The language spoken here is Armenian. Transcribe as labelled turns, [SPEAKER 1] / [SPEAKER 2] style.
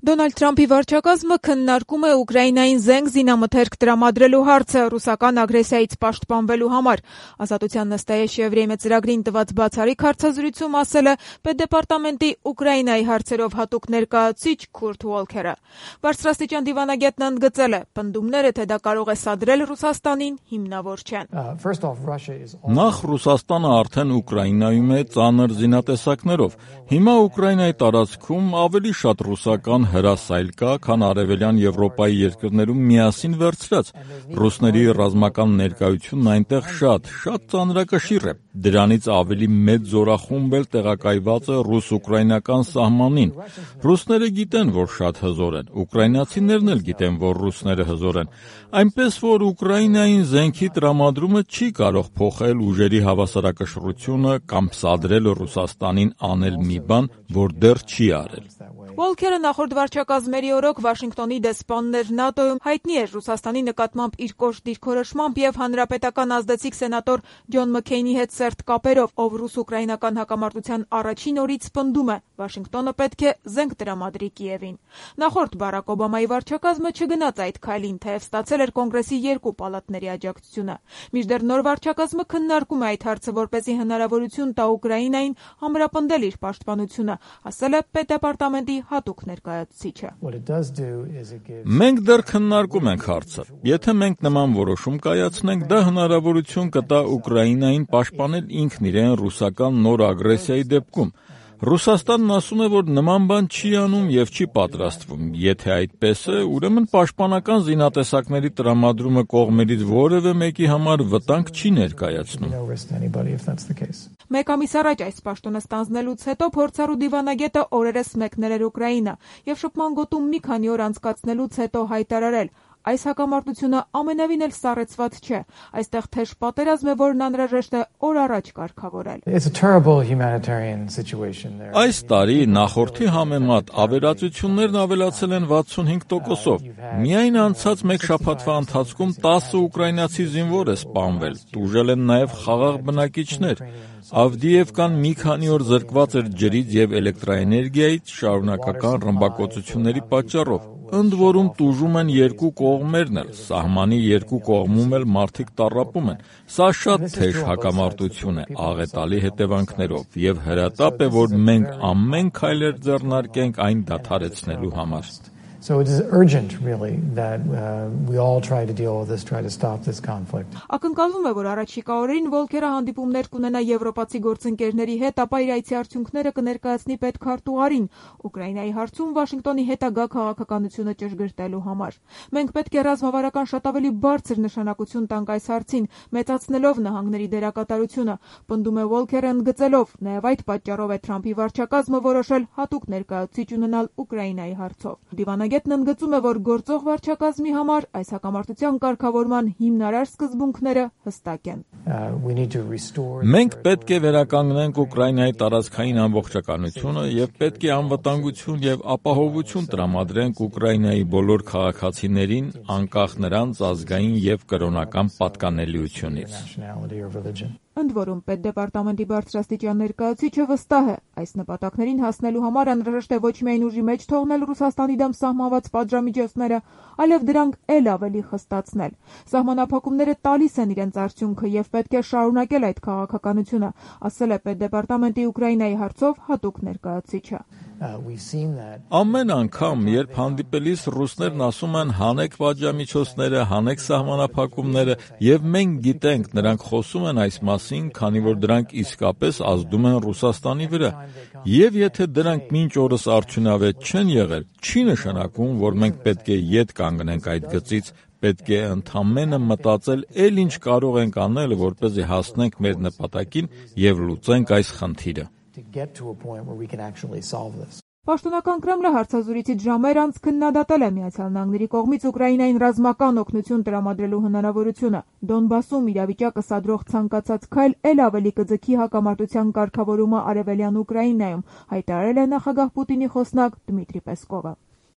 [SPEAKER 1] Դոնալդ Թրամփի վարչակազմը քննարկում է Ուկրաինային զենք զինամթերք տրամադրելու հարցը ռուսական ագրեսիայից պաշտպանվելու համար։ Ազատության նստաեշևրեյմե ծրագրին տված բացառիկ հարցազրույցում ասել է Պետդեպարտամենտի Ուկրաինայի հարցերով հատուկ ներկայացուցիչ Քուրտ Ուոլքերը։ Բարձրաստիճան դիվանագետն ընդգծել է, պնդումները, թե դա կարող է սադրել Ռուսաստանին, հիմնավոր չեն։
[SPEAKER 2] Նախ Ռուսաստանը արդեն Ուկրաինայում է ծանր զինատեսակներով։ Հիմա Ուկրաինայի տարածքում ավելի շատ ռուսական հրասայլ կա, քան արևելյան Եվրոպայի երկրներում միասին վերցրած։ Ռուսների ռազմական ներկայությունն այնտեղ շատ ծանրակշիռ է։ Դրանից ավելի մեծ զորախումբ էլ տեղակայված է ռուս-ուկրաինական սահմանին։ Ռուսները գիտեն, որ շատ հզոր են, ուկրաինացիներն էլ գիտեն, որ ռուսները հզոր են։ Այնպես որ Ուկրաինային զենքի տրամադրումը չի կարող փոխել ուժերի հավասարակշռությունը կամ սադրել Ռուսաստանին անել մի բան, որ դեռ չի արել։
[SPEAKER 1] Ուոլքերը նախորդ վարչակազմերի օրոք Վաշինգտոնի դեսպանն էր ՆԱՏՕ-ում, հայտնի էր Ռուսաստանի նկատմամբ իր կոշտ դիրքորոշմամբ եւ հանրապետական ազդեցիկ սենատոր Ջոն Մքեյնի հետ սերտ կապերով, ով ռուս-ուկրաինական հակամարտության առաջին օրից պնդում է, Վաշինգտոնը պետք է զենք տրամադրի Կիևին։ Նախորդ Բարակ Օբամայի վարչակազմը չգնաց այդ քայլին, թեև ստացել էր կոնգրեսի երկու պալատների աջակցությունը։ Մինչդեռ նոր վարչակազմը քննարկում է այդ հարցը, որպեսզի հնարավորություն տա Ուկրաինային ամրապնդել իր պաշտպանությունը, ասել է Պետդեպարտամենտի հատուկ ներկայացուցիչը։
[SPEAKER 2] Մենք դեռ քննարկում ենք հարցը։ Եթե մենք նման որոշում կայացնենք, դա հնարավորություն կտա Ուկրաինային պաշտպանել ինքն իրեն ռուսական նոր ագրեսիայի դեպքում։ Ռուսաստանն ասում է, որ նման բան չի անում եւ չի պատրաստվում։ Եթե այդպես է, ուրեմն պաշտպանական զինատեսակների տրամադրումը կողմերից որևէ մեկի համար վտանգ չի ներկայացնում։
[SPEAKER 1] Մեկ ամիս առաջ այս պաշտոնը ստանձնելուց հետո փորձառու դիվանագետը օրերս մեկնել էր Ուկրաինա եւ շփման գոտում մի քանի օր անցկացնելուց հետո հայտարարել. այս հակամարտությունը ամենևին էլ սառեցված չէ։ Այստեղ թեժ պատերազմ է, որն անհրաժեշտ է օր առաջ կարգավորել։
[SPEAKER 2] Այս տարի նախորդի համեմատ ավերածություններն ավելացել են 65%-ով։ Միայն անցած մեկ շաբաթվա ընթացքում 10 ուկրաինացի զինվոր է սպանվել, տուժել են նաև խաղաղ բնակիչներ։ Ավդիևկան մի քանի օր զրկված էր ջրից եւ էլեկտրաէներգիայից շարունակական ռմբակոծությունների պատճառով։ Ընդ որում տուժում են երկու կողմերն էլ, սահմանի երկու կողմում էլ մարդիկ տառապում են։ Սա շատ թեժ հակամարտություն է, աղետալի հետևանքներով, եւ հրատապ է, որ մենք ամեն քայլեր ձեռնարկենք այն դադարեցնելու համար։
[SPEAKER 3] So it is urgent, really, that we all try to deal with this, try to stop this conflict.
[SPEAKER 1] Ակնկալվում է, որ առաջիկա օրերին Ուոլքերը հանդիպումներ կունենա եվրոպացի գործընկերների հետ, ապա իր այցի արդյունքները կներկայացնի պետքարտուղարին Ուկրաինայի հարցում Վաշինգտոնի հետագա քաղաքականությունը ճշգրտելու համար։ Մենք պետք է ռազմավարական շատ ավելի բարձր նշանակություն տանք այս հարցին, մեծացնելով նահանգների դերակատարությունը, պնդում է Ուոլքերը ընդգծելով, նաև այդ պատճառով է Թրամփի վարչակազմը որոշել հատուկ ներկայացուցիչ ունենալ Ուկրաինայի հարցով։ Դիվանագետն ընդգծում է, որ գործող վարչակազմի համար այս հակամարտության կարգավորման հիմնարար սկզբունքները հստակ են։
[SPEAKER 2] Մենք պետք է վերականգնենք Ուկրաինայի տարածքային ամբողջականությունը եւ պետք է անվտանգություն եւ ապահովություն տրամադրենք Ուկրաինայի բոլոր քաղաքացիներին, անկախ նրանց ազգային եւ կրոնական պատկանելիությունից։
[SPEAKER 1] Ընդ որում, Պետդեպարտամենտի բարձրաստիճան ներկայացուցիչը վստահ է, այս նպատակներին հասնելու համար անհրաժեշտ է ոչ միայն ուժի մեջ թողնել Ռուսաստանի դեմ սահմանված պատժամիջոցները, այլև դրանք էլ ավելի խստացնել։ Սահմանափակումները տալիս են իրենց արդյունքը եւ պետք է շարունակել այդ քաղաքականությունը, ասել է Պետդեպարտամենտի Ուկրաինայի հարցով հատուկ ներկայացուցիչը։
[SPEAKER 2] Ամեն անգամ, երբ հանդիպելիս ռուսներն ասում են հանեք պատժամիջոցները, հանեք սահմանափակումները, եւ մենք գիտենք, նրանք խոսում են այս մասին, քանի որ դրանք իսկապես ազդում են Ռուսաստանի վրա։ Եվ եթե դրանք մինչ օրս արդյունավետ չեն եղել, չի նշանակում, որ մենք պետք է ետ կանգնենք այդ գծից, պետք է ընդամենը մտածել էլ ինչ կարող ենք անել, որպեսզի հասնենք մեր նպատակին եւ լուծենք այս խնդիրը։
[SPEAKER 1] Պաշտոնական Կրեմլը հարցազրույցից ժամեր անց քննադատել է Միացյալ Նահանգների կողմից Ուկրաինային ռազմական օգնություն տրամադրելու հնարավորությունը։ Դոնբասում իրավիճակը սադրող ցանկացած քայլ էլ ավելի կձգի հակամարտության կարգավորումը արևելյան Ուկրաինայում, հայտարարել է նախագահ Պուտինի խոսնակ Դմիտրի Պեսկովը։